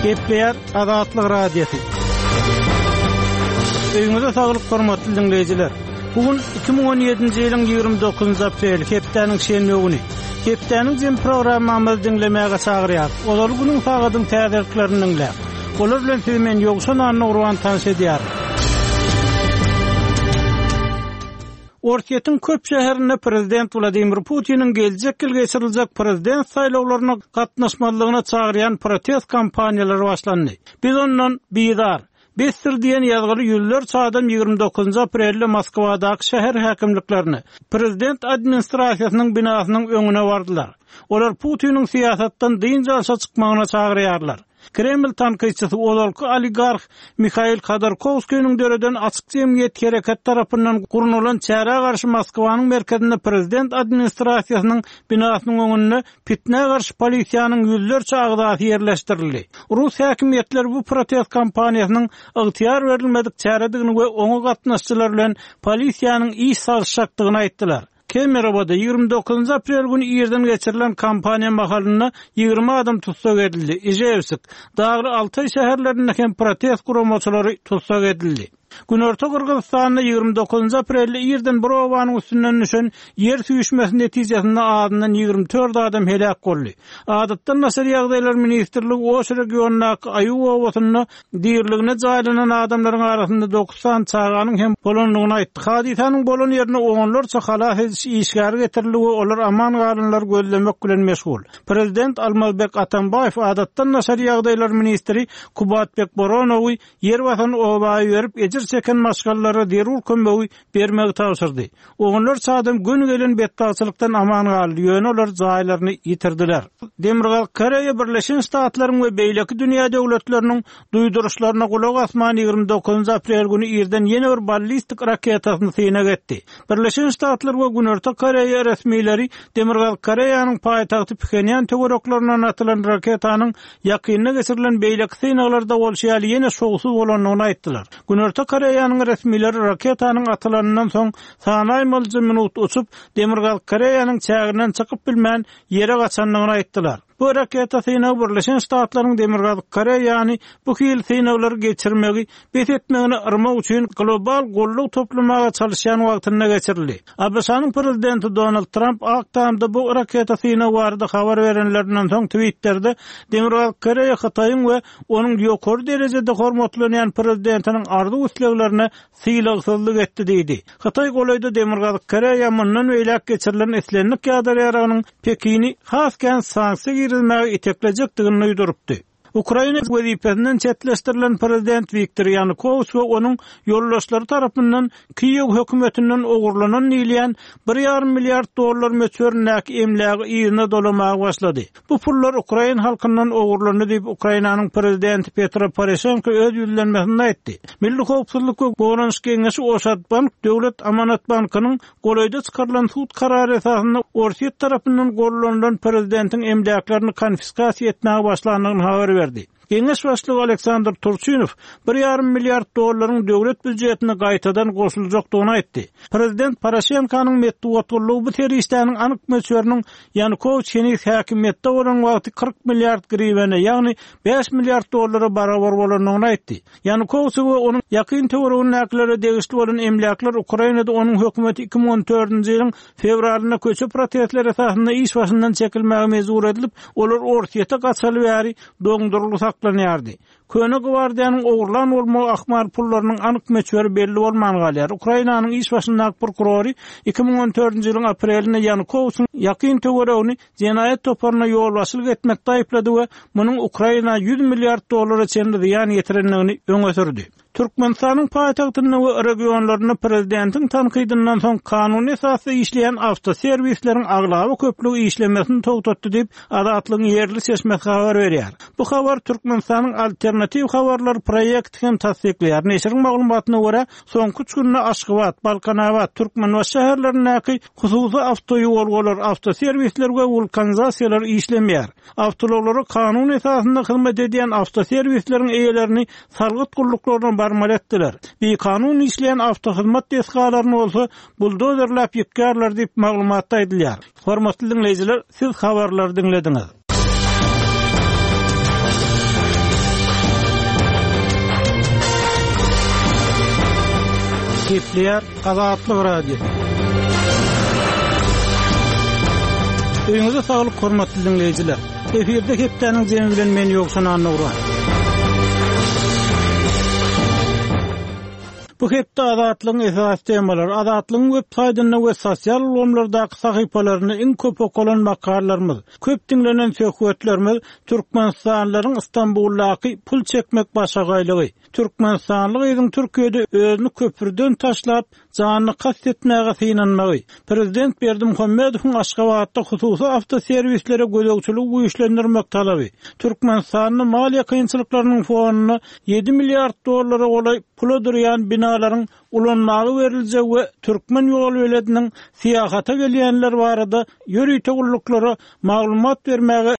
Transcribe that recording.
Gepleýär Azatlyk Radiosy. Öýüňize saglyk hormatly diňleýjiler. Bu gün 2017-nji ýylyň 29-njy apreli, hepdäniň şenbe güni. Hepdäniň jem programmamyzy diňlemäge çagyrýarys. Ozal günüň sagadyň täzeliklerini diňläň. Olar bilen sizi men Ýowşan Annagurban tanyş edýärin. Orsýetiň köp şäherinde prezident Wladimir Putiniň geljek ýyl geçiriljek prezident saýlawlaryna gatnaşmazlygyna çagyrýan protest kampaniýalary başlandy. Biz ondan bizar. Besdir diýen ýazgyly ýüzlerçe adam 29 aprelde Moskwadaky şäher häkimliklerine, prezident administrasiýasynyň binasynyň öňüne bardylar. Olar Putiniň syýasatdan dynç alşa çykmagyna çagyrýarlar. Kreml tankytçysy ozalky oligarh Mihail Hodorkowskiniň döreden Açyk jemgyýet hereketi tarapyndan gurnalan çärä garşy Moskwanyň merkezinde prezident administrasiýasynyň binasynyň öňünde pitnä garşy polisiýanyň ýüzlerçe agzasy ýerleşdirildi. Rus häkimiýetleri bu protest kampaniýasynyň ygtyýar berilmedik çäredigini we oňa gatnaşyjylar bilen polisiýanyň iş salyşjakdygyny aýtdylar. Kemerowoda 29 aprel güni irden geçirilen kampaniýa mahalynda 20 adam tussag edildi. Ižewsik, Dagly Altaý şäherlerinde hem protest guramaçylary tussag edildi. Günorta Gyrgyzystanda 29 aprelde irden bir obanyň üstünden düşen ýer süýşmesi netijesinde azyndan 24 adam heläk boldy. Adatdan daşary ýagdaýlar ministrligi Oş regionyndaky Aýuw obasynda Diriligine jaýlanan adamlaryň arasynda dokuz sany çaganyň hem bolandygyny aýtdy. Hadysanyň bolan ýerine onlarça halas ediş işgäri getirildi we olar aman galanlary gözlemek bilen meşgul. Prezident Almazbek Atambaýew adatdan daşary ýagdaýlar ministri Kubatbek Boronowy ýer basan oba iberip, ejir çeken maşgalalara zerur kömegi bermegi tabşyrdy. Onlarça adam göni gelen betbagtçylykdan aman galdy, ýöne olar jaýlaryny ýitirdiler. Demirgazyk Koreýa Birleşen Ştatlaryň we beýleki dünýä döwletleriniň duýduryşlaryna gulak asman 29 aprel güni irden ýene bir ballistik raketasyny synag etdi. Birleşen Ştatlar we Günorta Koreýa resmileri Demirgazyk Koreýanyň paýtagty Phenýan töwereklerinden atylan raketanyň ýakynda geçirilen beýleki synaglarda bolşy ýaly ýene şowsuz bolandygyny aýtdylar. Günorta Koreýanyň resmileri raketanyň atylanyndan soň sanaýmalyja minut uçup, Demirgazyk Koreýanyň çäginden çykyp bilmän, ýere gaçandygyny aýtdylar. Bu raketa synagy Birleşen Ştatlaryň Demirgazyk Koreýany bu hili synaglary geçirmegi bes etmegine yrmak üçin global goldaw toplamaga çalyşýan wagtynda geçirildi. ABŞ-nyň prezidenti Donald Tramp Ak Tamda bu raketa synagy barada habar berenlerinden soň Twitterde Demirgazyk Koreýa Hytaýyň we onuň ýokary derejede hormatlanýan prezidentiniň arzuw-isleglerine sylagsyzlyk etdi diýdi. Hytaý golaýda Demirgazyk Koreýa mundan beýläk geçirilen islendik ýadro ýaragynyň Pekini has kän sanksiýa girizmäge iteklejekdigini duýdurypdy. Ukraina wezipesinden çetleşdirilen prezident Wiktor Ýanukowiç we onuň ýoldaşlary tarapyndan Kiýew hökümetinden ogurlanan diýilýän bir ýarym milliard dollar möçberindäki emlägi yzyna dolamaga başlady. Bu pullar ukrain halkyndan ogurlandy diýip, Ukrainanyň prezidenti Petro Poroşenko öz ýüzlenmesinde aýtdy. Milli howpsuzlyk we goranyş geňeşi Oşadbank döwlet amanat bankynyň golaýda çykarylan sud karary esasynda Orsýet tarapyndan gollanylan prezidentiň emläklerini konfiskasiýa etmäge başlandygyny habar berdi. Geňeş başlygy Aleksandr Turçinow bir ýarym milliard dollaryň döwlet býujetine gaýtadan goşuljakdygyny aýtdy. Prezident Poroşenkonyň metbugat gullugy bu serişdäniň anyk möçberiniň Ýanukowiç heniz häkimiýetde bolan wagty 40 milliard griwene, ýagny bäş milliard dollara barabar bolandygyny aýtdy. Ýanukowiçe we onuň ýakyn töweregindäkilere degişli bolan emläkler Ukrainada onuň hökümeti 2014-nji ýylyň fewralynda köçe protestleri esasynda iş başyndan çekilmäge mejbur edilip, olar Orsýete gaçaly bäri doňdurylgy saklanýardy. Köne gwardiýanyň ogurlan bolmagy ahmal pullarynyň anyk möçberi belli bolman galýar. Ukrainanyň iş başyndaky prokurory 2014-nji ýylyň aprelinde Ýanukowiçiň ýakyn töweregini jenaýat toparyna ýolbaşçylyk etmekde aýyplady we munuň Ukraina 100 milliard dollara çenli zyýan ýetirendigini öňe sürdi. Türkmenistanyň paýtagtynda we regionlarynda prezidentiň tankydyndan soň kanuny esasda işleýän awtoserwisleriň aglaba köplügi işlemesini togtatdy diýip, Azatlygyň ýerli çeşmesi habar berýär. Bu habar Türkmenistanyň Alternatiw habarlar proýekti hem tassyklaýar. Neşiriň maglumatyna görä, soňky üç günde Aşgabat, Balkanabat, Türkmenbaşy şäherlerindäki hususy awtoýuwalgalar, awtoserwisler we wulkanizasiýalar işlemeýär. Awtoulaglara kanun esasynda hyzmat edýän awtoserwisleriň eýelerini salgyt gulluklaryna barmaly etdiler. Bikanun işleýän awtohyzmat desgalaryny bolsa buldozerläp ýykýarlar diýip, maglumatda aýdylýar. Hormatly diňleýjiler, siz habarlary diňlediňiz. Gepleýär Azatlyk Radiosy. Öýüňize saglyk hormatly diňleýjiler. Efirde hepdäniň jemi bilen men Ýowşan Annagurban. Bu hepde Azatlygyň esasy temalary, Azatlygyň web saýtynda we sosial ulgamlardaky sahypalarynda iň köp okalan makalalarymyz, köp diňlenen söhbetlerimiz türkmenistanlylaryň Stambuldaky pul çekmek başagaýlygy, Türkmenistanly gyzyň Türkiýede özüni köprüden taşlap, janyna kast etmäge synanmagy, prezident Berdimuhamedowyň Aşgabatda hususy awtoserwislere gözegçiligi güýçlendirmek talaby, Türkmenistanda maliýe kynçylyklarynyň fonunda ýedi milliard dollara golaý pula durýan binalaryň ulanmaga beriljegi we türkmen ýolbelediniň syýahata gelýänler barada ýörite gulluklara maglumat bermäge.